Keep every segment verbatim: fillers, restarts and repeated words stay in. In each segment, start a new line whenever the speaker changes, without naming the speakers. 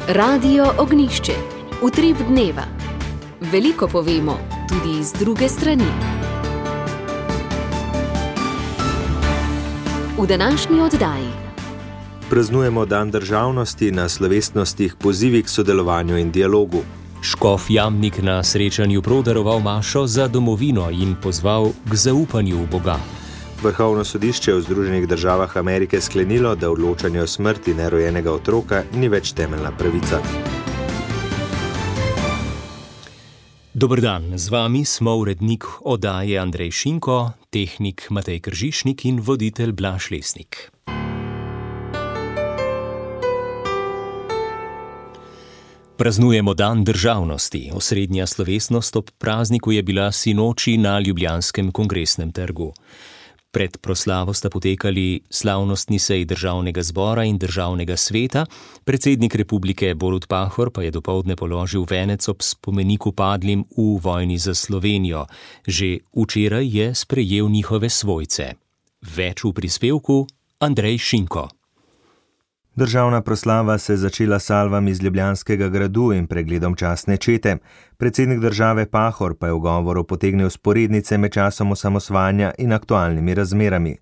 Radio Ognjišče. Utrip dneva. Veliko povemo, tudi z druge strani. V današnji oddaji
praznujemo Dan državnosti, na slovesnostih pozivi k sodelovanju in dialogu.
Škof Jamnik na srečanju prodaroval mašo za domovino in pozval k zaupanju v Boga.
Vrhovno sodišče v Združenih državah Amerike sklenilo, da odločanje o smrti nerojenega otroka ni več temeljna pravica.
Dober dan, z vami smo urednik oddaje Andrej Šinko, tehnik Matej Kržišnik in voditelj Blaž Lesnik. Praznujemo Dan državnosti. Osrednja slovesnost ob prazniku je bila sinoči na Ljubljanskem kongresnem trgu. Pred proslavo sta potekali slavnostni seji Državnega zbora in Državnega sveta, predsednik republike Borut Pahor pa je dopoldne položil venec ob spomeniku padlim v vojni za Slovenijo. Že včeraj je sprejel njihove svojce. Več v prispevku Andrej Šinko.
Državna proslava se je začela salvami iz Ljubljanskega gradu in pregledom častne čete. Predsednik države Pahor pa je v govoru potegnil sporednice med časom osamosvajanja in aktualnimi razmerami.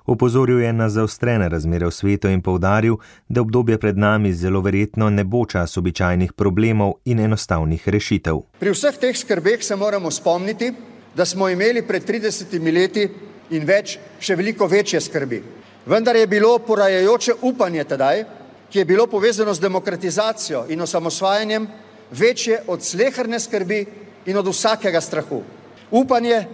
Opozoril je na zaostrene razmere v svetu in poudaril, da obdobje pred nami zelo verjetno ne bo čas običajnih problemov in enostavnih rešitev.
Pri vseh teh skrbeh se moramo spomniti, da smo imeli pred tridesetimi leti in več še veliko večje skrbi. Vendar je bilo porajajoče upanje tedaj, ki je bilo povezano z demokratizacijo in osamosvajanjem, večje od sleherne skrbi in od vsakega strahu. Upanje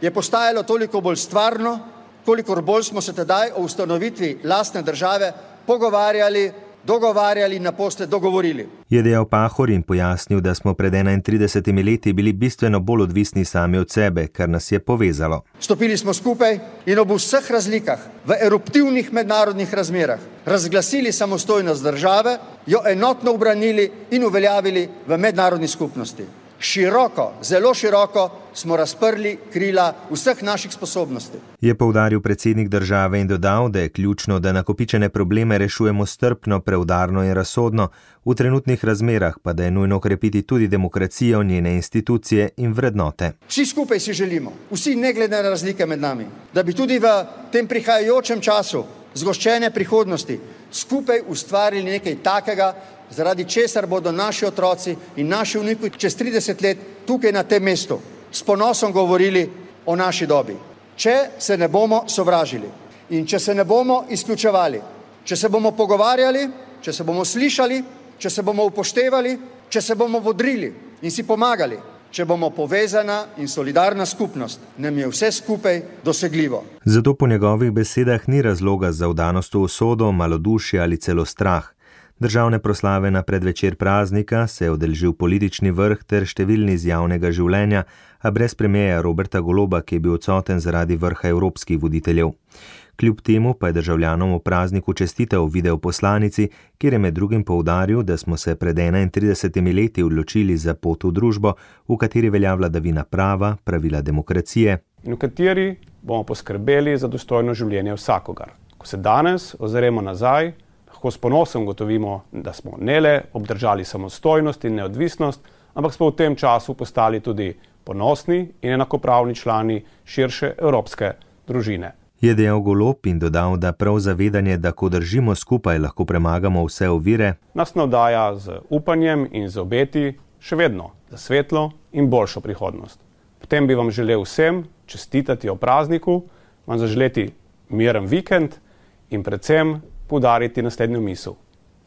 je postajalo toliko bolj stvarno, kolikor bolj smo se tedaj o ustanovitvi lastne države pogovarjali, dogovarjali in naposled dogovorili.
Je dejal Pahor in pojasnil, da smo pred enaintridesetimi leti bili bistveno bolj odvisni sami od sebe, kar nas je povezalo.
Stopili smo skupaj in ob vseh razlikah, v eruptivnih mednarodnih razmerah, razglasili samostojnost države, jo enotno ubranili in uveljavili v mednarodni skupnosti. Široko, zelo široko smo razprli krila vseh naših sposobnosti.
Je poudaril predsednik države in dodal, da je ključno, da nakopičene probleme rešujemo strpno, preudarno in razsodno, v trenutnih razmerah pa da je nujno okrepiti tudi demokracijo, njene institucije in vrednote.
Vsi skupaj si želimo, vsi ne glede na razlike med nami, da bi tudi v tem prihajajočem času zgoščene prihodnosti skupaj ustvarili nekaj takega, zaradi česar bodo naši otroci in naši vnuki čez trideset let tukaj na tem mestu s ponosom govorili o naši dobi. Če se ne bomo sovražili in če se ne bomo izključevali, če se bomo pogovarjali, če se bomo slišali, če se bomo upoštevali, če se bomo bodrili in si pomagali, če bomo povezana in solidarna skupnost, nam je vse skupaj dosegljivo.
Zato po njegovih besedah ni razloga za vdanost v usodo, malodušje ali celo strah. Državne proslave na predvečer praznika se je udeležil politični vrh ter številni iz javnega življenja, a brez premierja Roberta Goloba, ki je bil odsoten zaradi vrha evropskih voditeljev. Kljub temu pa je državljanom v prazniku čestital videoposlanici, kjer je med drugim poudaril, da smo se pred enaintridesetimi leti odločili za pot v družbo, v kateri velja vladavina prava, pravila demokracije.
In v kateri bomo poskrbeli za dostojno življenje vsakogar. Ko se danes ozremo nazaj, lahko s ponosom gotovimo, da smo ne le obdržali samostojnost in neodvisnost, ampak smo v tem času postali tudi ponosni in enakopravni člani širše evropske družine.
Je dejal Golob in dodal, da prav zavedanje, da ko držimo skupaj, lahko premagamo vse ovire,
nas navdaja z upanjem in z obeti še vedno za svetlo in boljšo prihodnost. Potem bi vam želel vsem čestitati o prazniku, vam zaželeti miren vikend in predvsem poudariti naslednjo misel.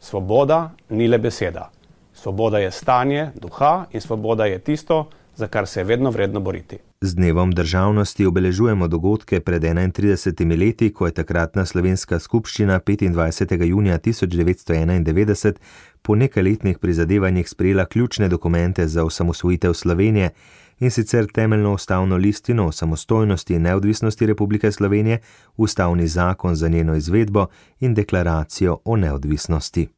Svoboda ni le beseda. Svoboda je stanje duha in svoboda je tisto, za kar se je vedno vredno boriti.
Z dnevom državnosti obeležujemo dogodke pred enaintridesetimi leti, ko je takratna slovenska skupščina petindvajsetega junija tisoč devetsto enaindevetdeset po nekajletnih prizadevanjih sprejela ključne dokumente za osamosvojitev Slovenije, in sicer temeljno ustavno listino o samostojnosti in neodvisnosti Republike Slovenije, ustavni zakon za njeno izvedbo in deklaracijo o neodvisnosti.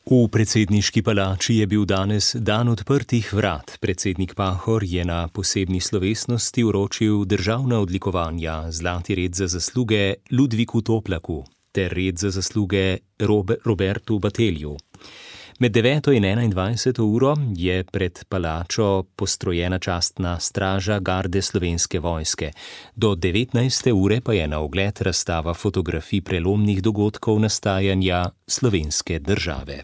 V predsedniški palači je bil danes dan odprtih vrat. Predsednik Pahor je na posebni slovesnosti vročil državna odlikovanja, zlati red za zasluge Ludviku Toplaku. ter red za zasluge Robertu Batelju. Med deveto in enaindvajseto uro je pred palačo postrojena častna straža garde Slovenske vojske. Do devetnajste ure pa je na ogled razstava fotografij prelomnih dogodkov nastajanja slovenske države.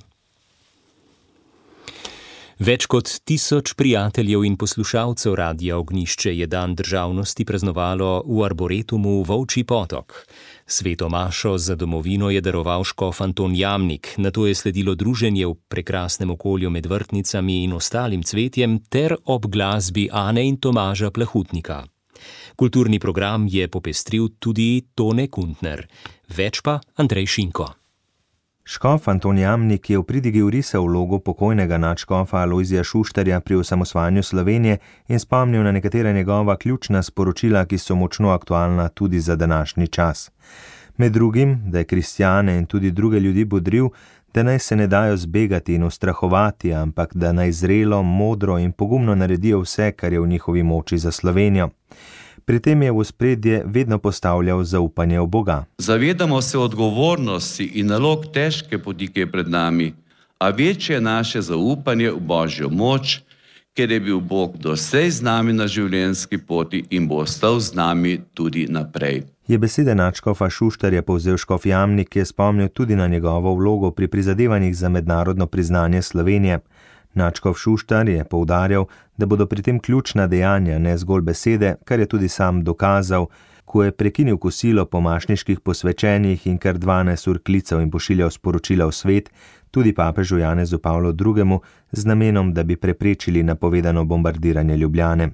Več kot tisoč prijateljev in poslušalcev Radia Ognjišče je dan državnosti praznovalo v Arboretumu Volčji Potok. Sveto mašo za domovino je daroval škof Anton Jamnik, nato je sledilo druženje v prekrasnem okolju med vrtnicami in ostalim cvetjem ter ob glasbi Ane in Tomaža Plahutnika. Kulturni program je popestril tudi Tone Kuntner, več pa Andrej Šinko.
Škof Anton Jamnik je v pridigi vrisal vlogo pokojnega nadškofa Alojzija Šuštarja pri osamosvajanju Slovenije in spomnil na nekatera njegova ključna sporočila, ki so močno aktualna tudi za današnji čas. Med drugim, da je kristjane in tudi druge ljudi bodril, da naj se ne dajo zbegati in ustrahovati, ampak da naj zrelo, modro in pogumno naredijo vse, kar je v njihovi moči za Slovenijo. Pri tem je v ospredje vedno postavljal zaupanje v Boga.
Zavedamo se odgovornosti in nalog težke poti, ki je pred nami, a večje je naše zaupanje v Božjo moč, ker je bil Bog doslej z nami na življenjski poti in bo ostal z nami tudi naprej.
Je besede nadškofa Šuštarja povzel škof Jamnik, ki je spomnil tudi na njegovo vlogo pri prizadevanjih za mednarodno priznanje Slovenije. Nadškof Šuštar je poudarjal, da bodo pri tem ključna dejanja, ne zgolj besede, kar je tudi sam dokazal, ko je prekinil kosilo po mašniških posvečenjih in kar dvanajst ur klical in pošiljal sporočila v svet, tudi papežu Janezu Pavlu drugemu, z namenom, da bi preprečili napovedano bombardiranje Ljubljane.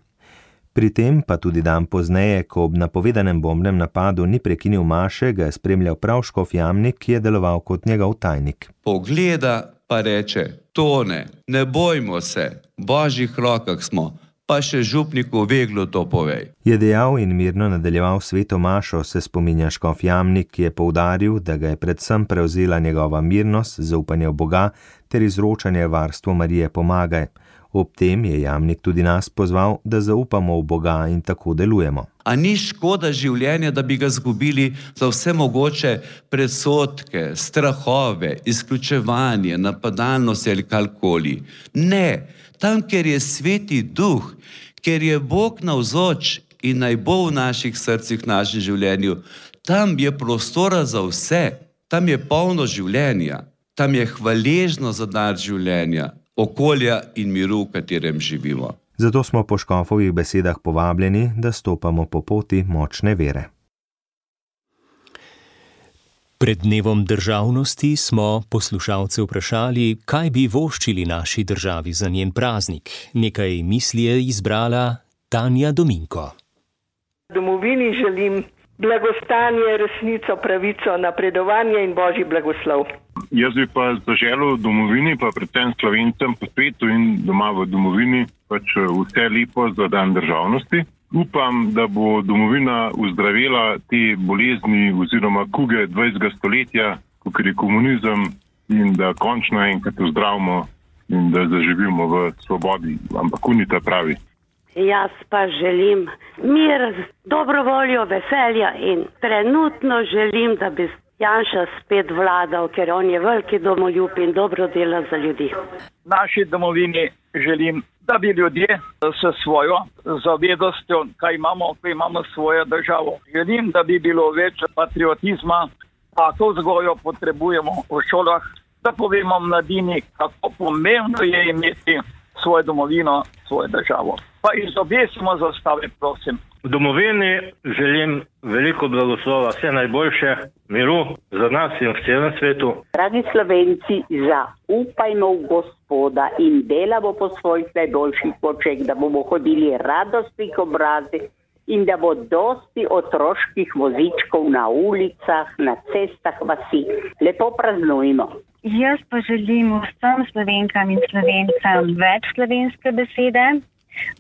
Pri tem pa tudi dan pozneje, ko ob napovedanem bombnem napadu ni prekinil maše, ga je spremljal prav škof Jamnik, ki je deloval kot njegov tajnik.
Pogleda pa reče: Tone, ne bojmo se, v Božjih rokah smo, pa še župniku Veglu to povej.
Je dejal in mirno nadaljeval sveto mašo, se spominja škof Jamnik, ki je poudaril, da ga je predvsem prevzela njegova mirnost, zaupanje v Boga ter izročanje varstvu Marije Pomagaj. Ob tem je Jamnik tudi nas pozval, da zaupamo v Boga in tako delujemo.
A ni škoda življenja, da bi ga zgubili za vse mogoče predsodke, strahove, izključevanje, napadalnost ali karkoli? Ne, tam, kjer je sveti duh, kjer je Bog navzoč in naj bo v naših srcih, v našem življenju, tam je prostora za vse, tam je polno življenja, tam je hvaležno za dar življenja, okolja in miru, v katerem živimo.
Zato smo po škofovih besedah povabljeni, da stopamo po poti močne vere.
Pred dnevom državnosti smo poslušalce vprašali, kaj bi voščili naši državi za njen praznik. Nekaj misli je izbrala Tanja Dominko.
Domovini želim blagostanje, resnico, pravico, napredovanje in božji blagoslov.
Jaz bi pa zaželel domovini, pa predvsem Slovencem po svetu in doma v domovini, pač vse lepo za dan državnosti. Upam, da bo domovina uzdravila te bolezni oziroma kuge dvajsetega stoletja, kot je komunizem, in da končno enkrat ozdravimo in da zaživimo v svobodi, ampak unita pravi.
Jaz pa želim mir, dobro voljo, veselja in trenutno želim, da bi Janša spet vladal, ker on je veliki domoljub in dobro dela za ljudi.
Naši domovini želim, da bi ljudje s svojo zavedostjo, kaj imamo, ko imamo svojo državo. Želim, da bi bilo več patriotizma, tako vzgojo potrebujemo v šolah, da povemo mladini, kako pomembno je imeti svojo domovino, svojo državo. Pa izobesimo zastave, prosim.
V domovini želim veliko blagoslova, vse najboljše, miru za nas in v celem svetu.
Dragi Slovenci, zaupajmo v Gospoda in delamo po svojih najboljših močeh, da bomo hodili radostnih obrazi in da bo dosti otroških vozičkov na ulicah, na cestah vasi. Lepo praznujmo.
Jaz pa želim vsem Slovenkam in Slovencem več slovenske besede,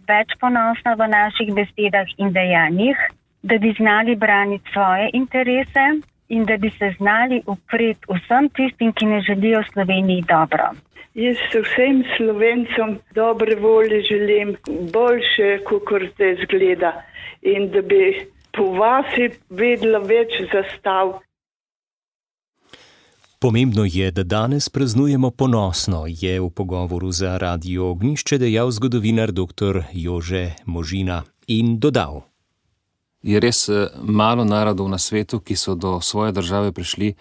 več ponosna v naših besedah in dejanjih, da bi znali braniti svoje interese in da bi se znali upreti vsem tistim, ki ne želijo Sloveniji dobro.
Jaz vsem Slovencem dobre volje želim, boljše, kakor te zgleda, in da bi po vasi vedela več zastav.
Pomembno je, da danes praznujemo ponosno, je v pogovoru za Radio Ognjišče dejal zgodovinar doktor Jože Možina in dodal.
Je res malo narodov na svetu, ki so do svoje države prišli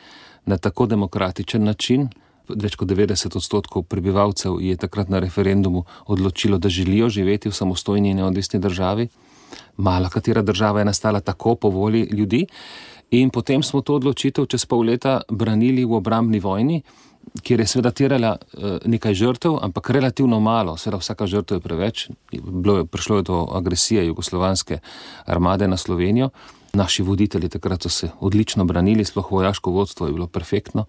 na tako demokratičen način. Več kot devetdeset odstotkov prebivalcev je takrat na referendumu odločilo, da želijo živeti v samostojni in neodvisni državi. Mala katera država je nastala tako po volji ljudi. In potem smo to odločitev čez pol leta branili v obrambni vojni, kjer je seveda terjala nekaj žrtev, ampak relativno malo, seveda vsaka žrtev je preveč. Bilo je, prišlo je do agresije jugoslovanske armade na Slovenijo. Naši voditelji takrat so se odlično branili, sploh vojaško vodstvo je bilo perfektno.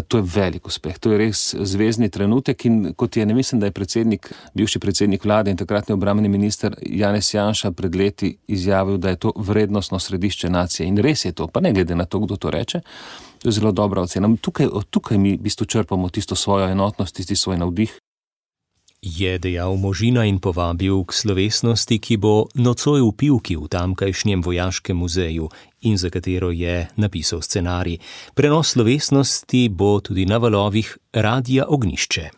To je velik uspeh, to je res zvezni trenutek in kot je, ne mislim, da je predsednik, bivši predsednik vlade in takratni obrambni minister Janez Janša pred leti izjavil, da je to vrednostno središče nacije in res je to, pa ne glede na to, kdo to reče, to je zelo dobra ocena. Tukaj, tukaj mi v bistvu črpamo tisto svojo enotnost, tisti svoj navdih.
Je dejal Možina in povabil k slovesnosti, ki bo nocoj v Pivki v tamkajšnjem vojaškem muzeju in za katero je napisal scenarij. Prenos slovesnosti bo tudi na valovih Radia Ognjišče.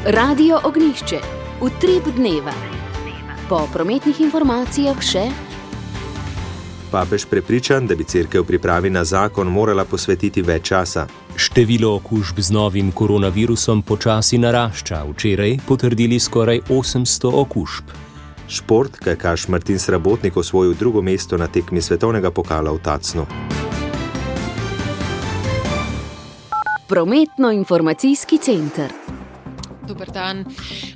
Radio Ognjišče, utrip dneva. Po prometnih informacijah še...
Papež prepričan, da bi cerkev pripravi na zakon morala posvetiti več časa.
Število okužb z novim koronavirusom počasi narašča. Včeraj potrdili skoraj osemsto okužb.
Šport, kajakaš Martin Srabotnik osvojil drugo mesto na tekmi svetovnega pokala v Tacnu.
Prometno-informacijski center.
Dober dan.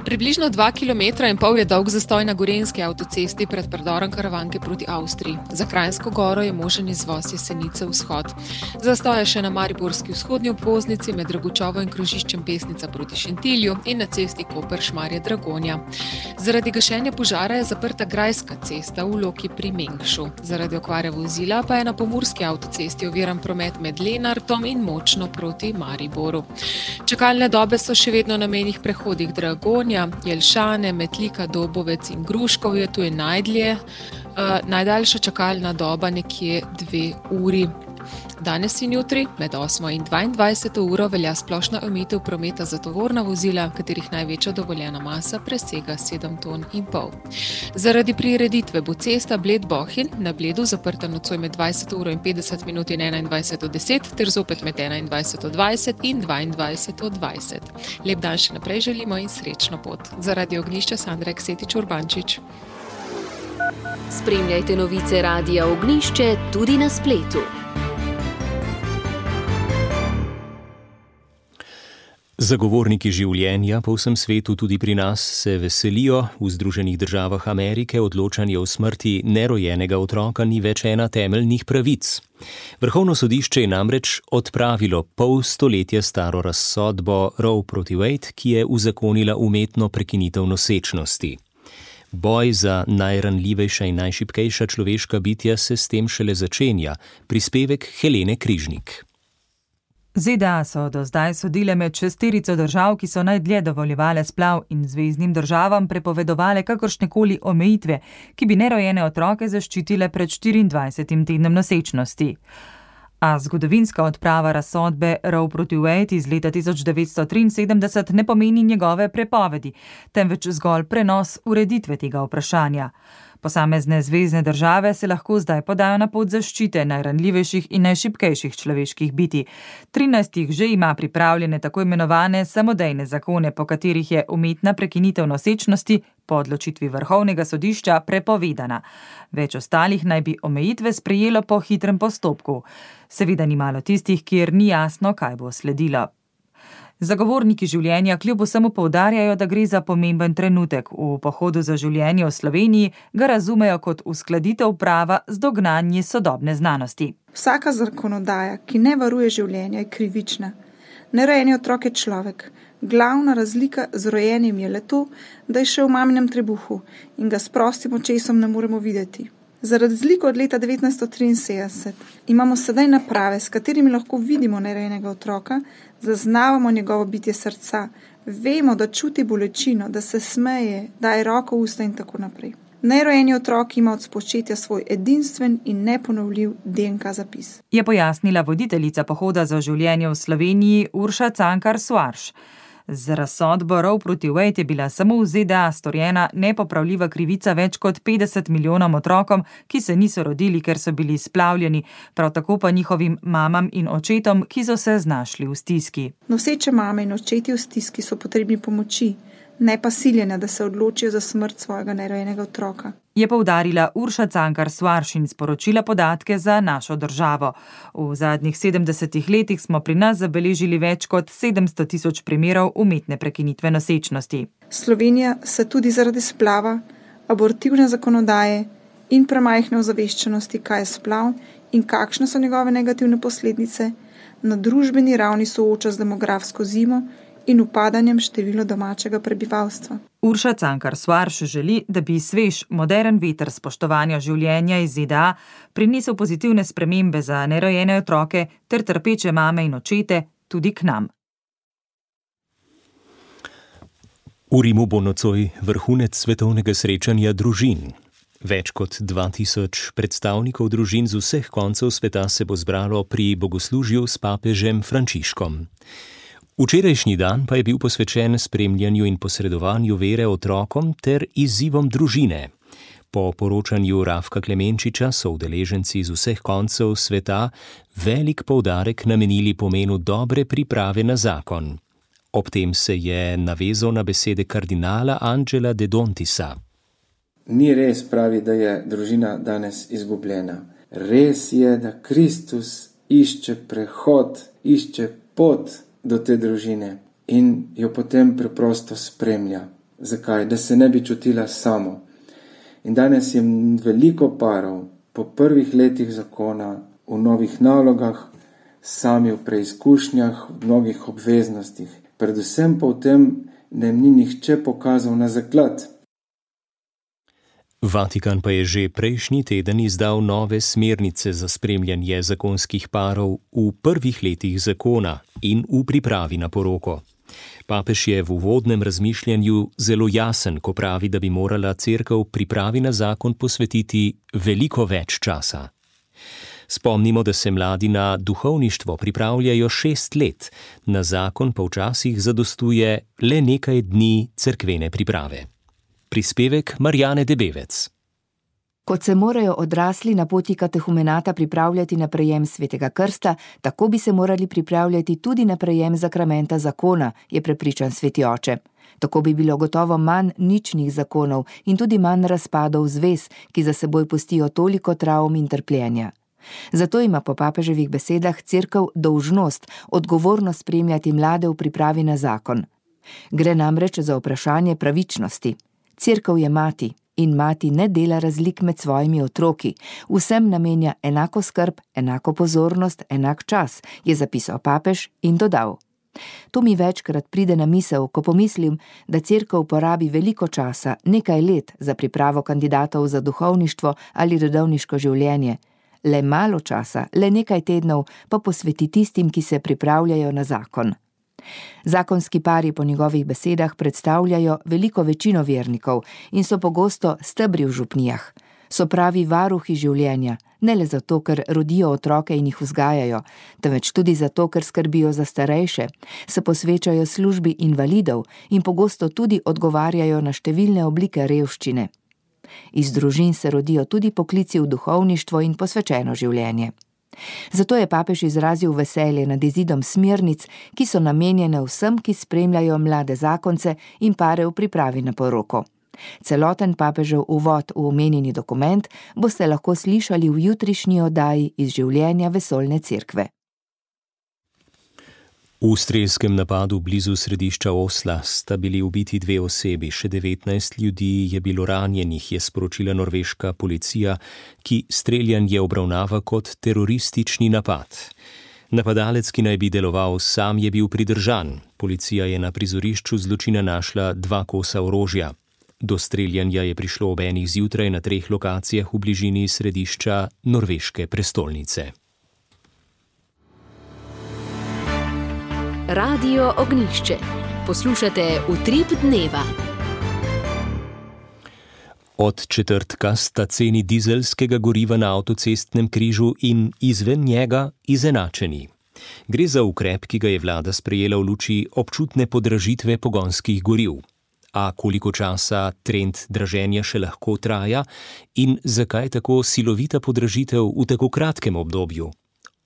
Približno dva kilometra in pol je dolg zastoj na Gorenjski avtocesti pred predorom Karavanke proti Avstriji. Za Kranjsko goro je možen izvoz Jesenice vzhod. Zastoj je še na Mariborski vzhodni obvoznici med Dragučovo in krožiščem Pesnica proti Šentilju in na cesti Koper-Šmarje-Dragonja. Zaradi gašenja požara je zaprta Grajska cesta v Loki pri Mengšu. Zaradi okvare vozila pa je na Pomurski avtocesti oviran promet med Lenartom in Močno proti Mariboru. Čakalne dobe so še vedno na mejnih prehodih Dragonja, Jelšane, Metlika, Dobovec in Gruškovje, tu je najdlje. Uh, najdaljša čakalna doba nekje dve uri. Danes in jutri med osmo in dvaindvajseto uro velja splošna omejitev prometa za tovorna vozila, katerih največja dovoljena masa presega sedem ton in pol. Zaradi prireditve bo cesta Bled-Bohinj na Bledu zaprta nocoj med dvajseto uro in petdeset minut in enaindvajseto deset ter zopet med enaindvajseto dvajset in dvaindvajseto dvajset. Lep dan še naprej želimo in srečno pot. Za Radio Ognjišče Sandra Eksetič Urbančič.
Spremljajte novice Radia Ognjišče tudi na spletu.
Zagovorniki življenja po vsem svetu, tudi pri nas, se veselijo. V Združenih državah Amerike odločanje o smrti nerojenega otroka ni več ena temeljnih pravic. Vrhovno sodišče je namreč odpravilo pol stoletja staro razsodbo Roe proti Wade, ki je uzakonila umetno prekinitev nosečnosti. Boj za najranljivejša in najšibkejša človeška bitja se s tem šele začenja. Prispevek Helene Križnik.
Z D A so do zdaj sodile med šesterico držav, ki so najdlje dovoljevale splav in zveznim državam prepovedovale kakršnekoli omejitve, ki bi nerojene otroke zaščitile pred štiriindvajsetim tednom nosečnosti. A zgodovinska odprava razsodbe Roe proti Wade iz leta tisoč devetsto triinsedemdeset ne pomeni njegove prepovedi, temveč zgolj prenos ureditve tega vprašanja. Posamezne zvezne države se lahko zdaj podajo na pot zaščite najranljivejših in najšibkejših človeških bitij. trinajst jih že ima pripravljene tako imenovane samodejne zakone, po katerih je umetna prekinitev nosečnosti po odločitvi Vrhovnega sodišča prepovedana. Več ostalih naj bi omejitve sprejelo po hitrem postopku. Seveda ni malo tistih, kjer ni jasno, kaj bo sledilo. Zagovorniki življenja kljub vsemu poudarjajo, da gre za pomemben trenutek. V pohodu za življenje v Sloveniji ga razumejo kot uskladitev prava z dognanji sodobne znanosti.
Vsaka zakonodaja, ki ne varuje življenja, je krivična. Nerojeni otrok je človek. Glavna razlika z rojenim je le to, da je še v maminem trebuhu in ga s prostim očesom ne moremo videti. Za razliko od leta devetnajststo triinsedemdeset imamo sedaj naprave, s katerimi lahko vidimo nerojenega otroka, zaznavamo njegovo bitje srca, vemo, da čuti bolečino, da se smeje, daje roko v usta in tako naprej. Nerojeni otrok ima od spočetja svoj edinstven in neponovljiv D N K zapis.
Je pojasnila voditeljica pohoda za življenje v Sloveniji Urša Cankar Soares. Z razsodbo Roe proti Wade je bila samo v Z D A storjena nepopravljiva krivica več kot petdeset milijonom otrokom, ki se niso rodili, ker so bili splavljeni, prav tako pa njihovim mamam in očetom, ki so se znašli v stiski.
Noseče mame in očeti v stiski so potrebni pomoči, ne pa siljenja, da se odločijo za smrt svojega nerojenega otroka.
Je poudarila Urša Cankar Soares in sporočila podatke za našo državo. V zadnjih sedemdesetih letih smo pri nas zabeležili več kot sedemsto tisoč primerov umetne prekinitve nosečnosti.
Slovenija se tudi zaradi splava, abortivne zakonodaje in premajhne ozaveščenosti, kaj je splav in kakšne so njegove negativne posledice, na družbeni ravni sooča z demografsko zimo in upadanjem števila domačega prebivalstva.
Urša Cankar Soares želi, da bi svež, modern veter spoštovanja življenja iz Z D A prinesel pozitivne spremembe za nerojene otroke ter trpeče mame in očete tudi k nam.
V Rimu bo nocoj vrhunec svetovnega srečanja družin. Več kot dva tisoč predstavnikov družin z vseh koncev sveta se bo zbralo pri bogoslužju s papežem Frančiškom. Včerajšnji dan pa je bil posvečen spremljanju in posredovanju vere otrokom ter izzivom družine. Po poročanju Rafka Klemenčiča so udeleženci z vseh koncev sveta velik poudarek namenili pomenu dobre priprave na zakon. Ob tem se je navezal na besede kardinala Angela De Dontisa.
Ni res, pravi, da je družina danes izgubljena. Res je, da Kristus išče prehod, išče pot do te družine in jo potem preprosto spremlja. Zakaj? Da se ne bi čutila samo. In danes je veliko parov po prvih letih zakona, v novih nalogah, sami v preizkušnjah, v mnogih obveznostih. Predvsem pa v tem, da jim ni nihče pokazal na zaklad.
Vatikan pa je že prejšnji teden izdal nove smernice za spremljanje zakonskih parov v prvih letih zakona in v pripravi na poroko. Papež je v uvodnem razmišljanju zelo jasen, ko pravi, da bi morala cerkev pripravi na zakon posvetiti veliko več časa. Spomnimo, da se mladi na duhovništvo pripravljajo šest let, na zakon pa včasih zadostuje le nekaj dni cerkvene priprave. Prispevek Marjane Debevec.
Kot se morajo odrasli na poti katehumenata pripravljati na prejem svetega krsta, tako bi se morali pripravljati tudi na prejem zakramenta zakona, je prepričan sveti oče. Tako bi bilo gotovo manj ničnih zakonov in tudi manj razpadov zvez, ki za seboj pustijo toliko travm in trpljenja. Zato ima po papeževih besedah cerkev dolžnost, odgovorno spremljati mlade v pripravi na zakon. Gre namreč za vprašanje pravičnosti. Cerkev je mati in mati ne dela razlik med svojimi otroki, vsem namenja enako skrb, enako pozornost, enak čas, je zapisal papež in dodal. To mi večkrat pride na misel, ko pomislim, da cerkev porabi veliko časa, nekaj let, za pripravo kandidatov za duhovništvo ali redovniško življenje. Le malo časa, le nekaj tednov pa posveti tistim, ki se pripravljajo na zakon. Zakonski pari po njegovih besedah predstavljajo veliko večino vernikov in so pogosto stebri v župnijah. So pravi varuhi življenja, ne le zato, ker rodijo otroke in jih vzgajajo, temveč tudi zato, ker skrbijo za starejše, se posvečajo službi invalidov in pogosto tudi odgovarjajo na številne oblike revščine. Iz družin se rodijo tudi poklici v duhovništvo in posvečeno življenje. Zato je papež izrazil veselje nad izidom smernic, ki so namenjene vsem, ki spremljajo mlade zakonce in pare v pripravi na poroko. Celoten papežev uvod v omenjeni dokument boste lahko slišali v jutrišnji oddaji iz življenja vesoljne cerkve.
V strelskem napadu blizu središča Osla sta bili ubiti dve osebi, še devetnajst ljudi je bilo ranjenih, je sporočila norveška policija, ki streljanje obravnava kot teroristični napad. Napadalec, ki naj bi deloval sam, je bil pridržan. Policija je na prizorišču zločina našla dva kosa orožja. Do streljanja je prišlo ob enih zjutraj na treh lokacijah v bližini središča norveške prestolnice.
Radio Ognjišče. Poslušate Utrip dneva.
Od četrtka sta ceni dizelskega goriva na avtocestnem križu in izven njega izenačeni. Gre za ukrep, ki ga je vlada sprejela v luči občutne podražitve pogonskih goriv. A koliko časa trend draženja še lahko traja in zakaj tako silovita podražitev v tako kratkem obdobju?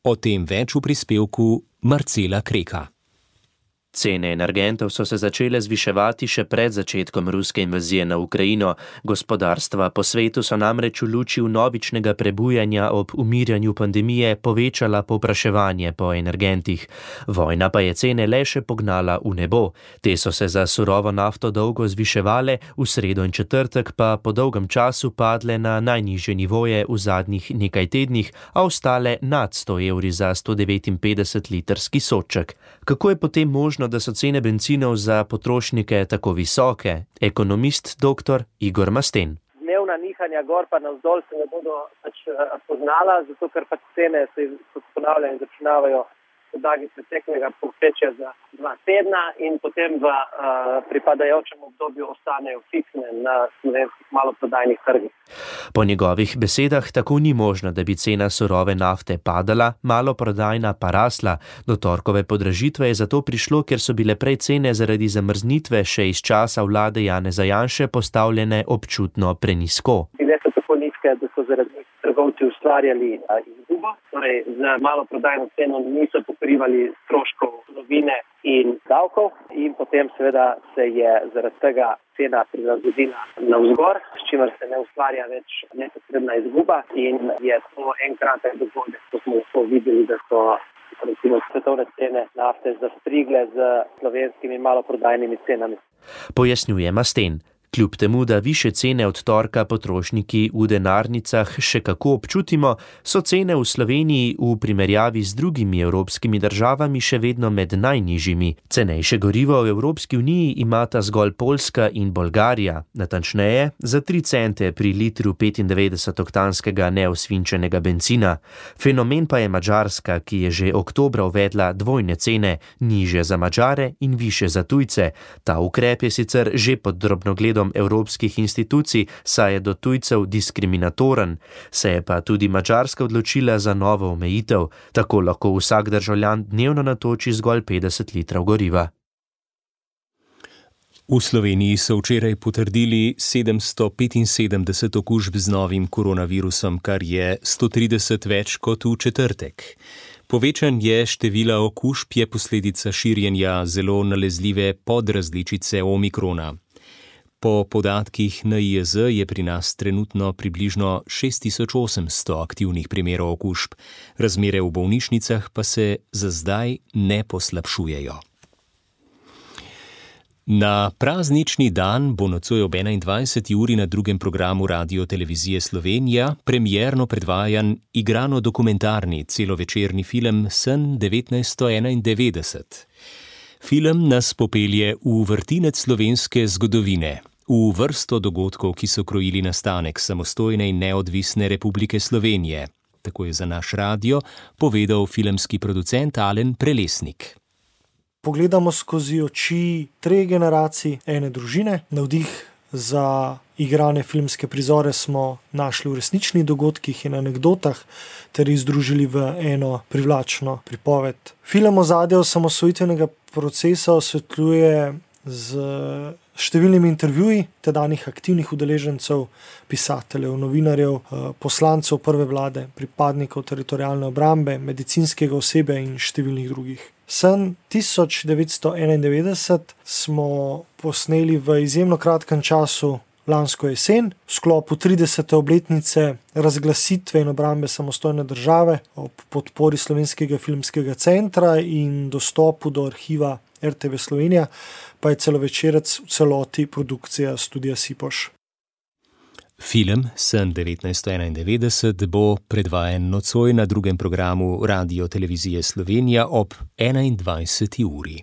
O tem več v prispevku Marcela Kreka.
Cene energentov so se začele zviševati še pred začetkom ruske invazije na Ukrajino. Gospodarstva po svetu so namreč v luči vnovičnega prebujanja ob umirjanju pandemije povečala povpraševanje po energentih. Vojna pa je cene le še pognala v nebo. Te so se za surovo nafto dolgo zviševale, v sredo in četrtek pa po dolgem času padle na najnižje nivoje v zadnjih nekaj tednih, a ostale nad sto evri za sto devetinpetdeset litrski sodček. Kako je potem možno, da so cene bencinov za potrošnike tako visoke? Ekonomist dr. Igor Masten.
Dnevna nihanja gor pa navzdol se ne bodo pač poznala, zato ker pač cene se ponavljajo in začinavajo podlagi preteklega povprečja za dva tedna in potem v uh, pripadajočem obdobju ostanejo fiksne na slovenskih maloprodajnih trgih.
Po njegovih besedah tako ni možno, da bi cena surove nafte padala, maloprodajna pa rasla. Do torkove podražitve je zato prišlo, ker so bile prej cene zaradi zamrznitve še iz časa vlade Janeza Janše postavljene občutno prenizko.
Bile so tako nizke, da so zaradi trgovci ustvarjali izgubo, torej z maloprodajno ceno niso pokrivali stroškov surovine in davkov in potem seveda se je zaradi tega cena prilagodila navzgor, s čimer se ne ustvarja več nepotrebna izguba in je to enkraten dogodek, ko smo to videli, da so recimo svetovne cene nafte zastrigle z slovenskimi maloprodajnimi cenami.
Pojasnjuje Masten. Kljub temu, da više cene od torka potrošniki v denarnicah še kako občutimo, so cene v Sloveniji v primerjavi z drugimi evropskimi državami še vedno med najnižjimi. Cenejše gorivo v Evropski uniji imata zgolj Poljska in Bolgarija, natančneje za tri cente pri litru petindevetdesetoktanskega neosvinčenega bencina. Fenomen pa je Madžarska, ki je že oktobra uvedla dvojne cene, nižje za Madžare in više za tujce. Ta ukrep je sicer že pod drobnogledom evropskih institucij, saj je do tujcev diskriminatoren. Se je pa tudi Madžarska odločila za novo omejitev. Tako lahko vsak državljan dnevno natoči zgolj petdeset litrov goriva.
V Sloveniji so včeraj potrdili sedemsto petinsedemdeset okužb z novim koronavirusom, kar je sto trideset več kot v četrtek. Povečanje števila okužb je posledica širjenja zelo nalezljive podrazličice omikrona. Po podatkih N I J Z je pri nas trenutno približno šest tisoč osemsto aktivnih primerov okužb, razmere v bolnišnicah pa se za zdaj ne poslabšujejo. Na praznični dan bo nocoj ob enaindvajseti uri na drugem programu Radiotelevizije Slovenija premierno predvajan igrano-dokumentarni celovečerni film Sen devetnajststo enaindevetdeset. Film nas popelje v vrtinec slovenske zgodovine, v vrsto dogodkov, ki so krojili nastanek samostojne in neodvisne Republike Slovenije. Tako je za naš radio povedal filmski producent Alen Prelesnik.
Pogledamo skozi oči treh generacij ene družine. Navdih za igrane filmske prizore smo našli v resničnih dogodkih in anekdotah ter jih združili v eno privlačno pripoved. Film ozadja osamosvojitvenega procesa osvetljuje z številnimi intervjuji tedanjih aktivnih udeležencev, pisateljev, novinarjev, poslancev prve vlade, pripadnikov teritorialne obrambe, medicinskega osebja in številnih drugih. Sen tisoč devetsto enaindevetdeset smo posneli v izjemno kratkem času lansko jesen, v sklopu tridesete obletnice razglasitve in obrambe samostojne države ob podpori Slovenskega filmskega centra in dostopu do arhiva R T V Slovenija, pa je celovečerec v celoti produkcija Studia Sipoš.
Film Sen devetnajststo enaindevetdeset bo predvajan nocoj na drugem programu Radiotelevizije Slovenija ob enaindvajseti uri.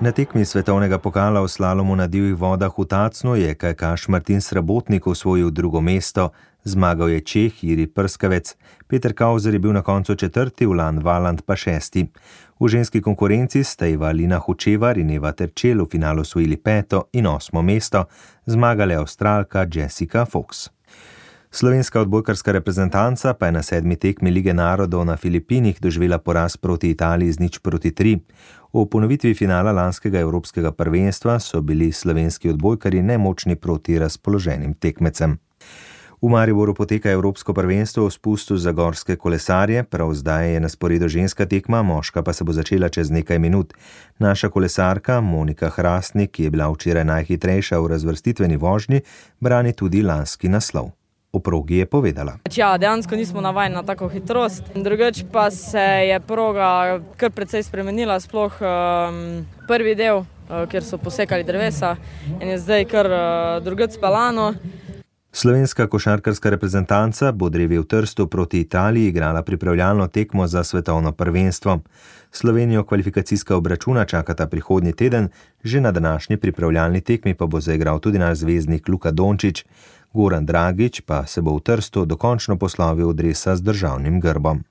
Na tekmi svetovnega pokala v slalomu na divjih vodah v Tacnu je kajakaš Martin Srabotnik osvojil drugo mesto, Zmagal je Čeh Jiri Prskavec, Peter Kauzer je bil na koncu četrti, Ulan Valand pa šesti. V ženski konkurenci sta Eva Lina Hučevar in Eva Terčel v finalu osvojili peto in osmo mesto, zmagala je Avstralka Jessica Fox. Slovenska odbojkarska reprezentanca pa je na sedmi tekmi Lige narodov na Filipinih doživela poraz proti Italiji z nič proti tri. V ponovitvi finala lanskega evropskega prvenstva so bili slovenski odbojkarji nemočni proti razpoloženim tekmecem. V Mariboru poteka evropsko prvenstvo v spustu za gorske kolesarje, prav zdaj je na sporedu ženska tekma, moška pa se bo začela čez nekaj minut. Naša kolesarka Monika Hrastnik, ki je bila včeraj najhitrejša v razvrstitveni vožnji, brani tudi lanski naslov. O progi je povedala.
Ja, dejansko nismo navajeni na tako hitrost. Drugač pa se je proga kar precej spremenila, sploh um, prvi del, uh, kjer so posekali drevesa in je zdaj kar uh, drugač spelano.
Slovenska košarkarska reprezentanca bo drevi v Trstu proti Italiji igrala pripravljalno tekmo za svetovno prvenstvo. Slovenijo kvalifikacijska obračuna čakata prihodnji teden, že na današnji pripravljalni tekmi pa bo zaigral tudi naš zvezdnik Luka Dončić. Goran Dragić pa se bo v Trstu dokončno poslovil od dresa z državnim grbom.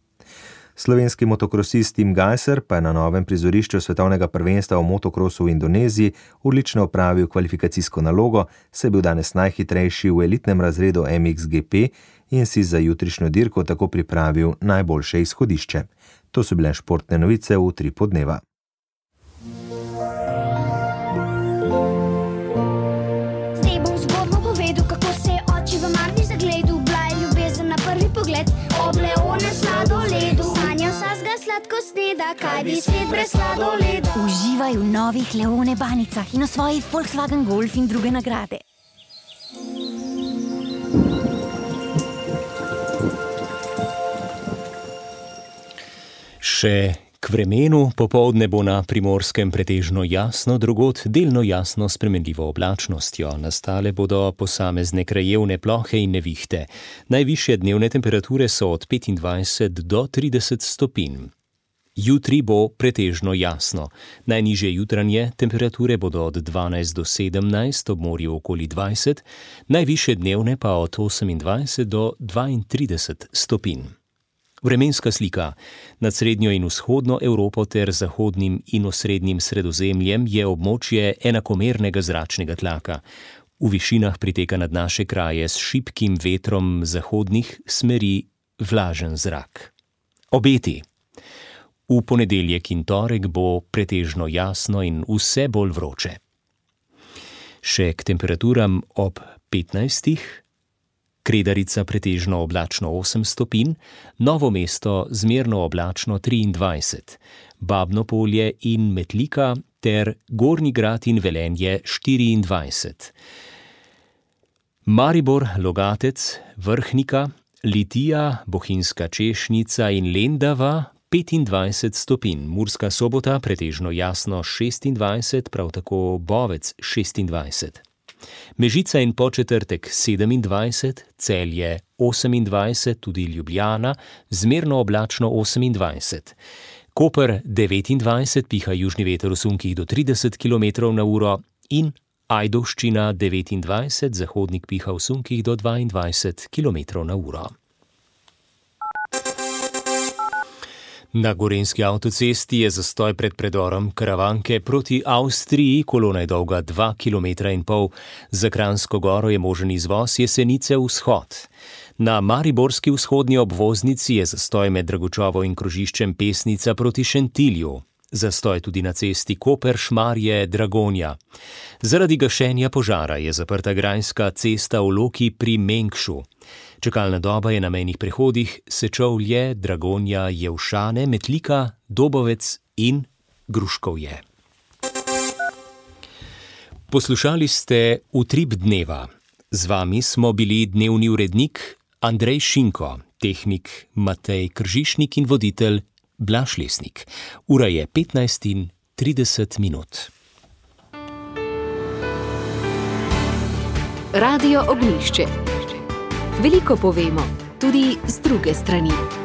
Slovenski motokrosist Tim Gajser pa je na novem prizorišču svetovnega prvenstva v motokrosu v Indoneziji odlično opravil kvalifikacijsko nalogo, saj je bil danes najhitrejši v elitnem razredu M X G P in si za jutrišnjo dirko tako pripravil najboljše izhodišče. To so bile športne novice v Utripu dneva.
Zdaj bom zgodbo povedal, kako se je oči v Marni zagledal, bila je ljubezen na prvi pogled, ob Leone sladoledu. Sanjal sazga sladko sneda, kaj bi svet brez sladoleda.
Uživaj v novih Leone banicah in v svoji Volkswagen Golf in druge nagrade.
Še k vremenu, popoldne bo na Primorskem pretežno jasno, drugod delno jasno s spremenljivo oblačnostjo. Nastale bodo posamezne krajevne plohe in nevihte. Najvišje dnevne temperature so od petindvajset do trideset stopinj. Jutri bo pretežno jasno. Najnižje jutranje temperature bodo od dvanajst do sedemnajst, ob morju okoli dvajset, najvišje dnevne pa od osemindvajset do dvaintrideset stopinj. Vremenska slika. Nad srednjo in vzhodno Evropo ter zahodnim in osrednjim Sredozemljem je območje enakomernega zračnega tlaka. V višinah priteka nad naše kraje s šibkim vetrom zahodnih smeri vlažen zrak. Obeti. V ponedeljek in torek bo pretežno jasno in vse bolj vroče. Še k temperaturam ob petnajstih. Kredarica pretežno oblačno osem stopinj, Novo mesto zmerno oblačno triindvajset, Babno Polje in Metlika ter Gornji Grad in Velenje štiriindvajset. Maribor, Logatec, Vrhnika, Litija, Bohinjska Češnica in Lendava petindvajset stopinj, Murska Sobota pretežno jasno šestindvajset, prav tako Bovec šestindvajset. Mežica in Podčetrtek sedemindvajset, Celje osemindvajset, tudi Ljubljana, zmerno oblačno osemindvajset. Koper devetindvajset, piha južni veter v sunkih do trideset kilometrov na uro in Ajdovščina devetindvajset, zahodnik piha v sunkih do dvaindvajset kilometrov na uro. Na gorenjski avtocesti je zastoj pred predorom Karavanke proti Avstriji, kolona je dolga dva kilometra in pol. Za Kranjsko goro je možen izvoz Jesenice vzhod. Na mariborski vzhodni obvoznici je zastoj med Dragočovo in krožiščem Pesnica proti Šentilju. Zastoj tudi na cesti Koper-Šmarje-Dragonja. Zaradi gašenja požara je zaprta grajska cesta v Loki pri Mengšu. Čakalna doba je na mejnih prehodih Sečovlje, Dragonja, Jevšane, Metlika, Dobovec in Gruškovje. Poslušali ste Utrip dneva. Z vami smo bili dnevni urednik Andrej Šinko, tehnik Matej Kržišnik in voditelj Blaž Lesnik. Ura je petnajst in trideset minut.
Radio Ognjišče. Veliko povemo, tudi z druge strani.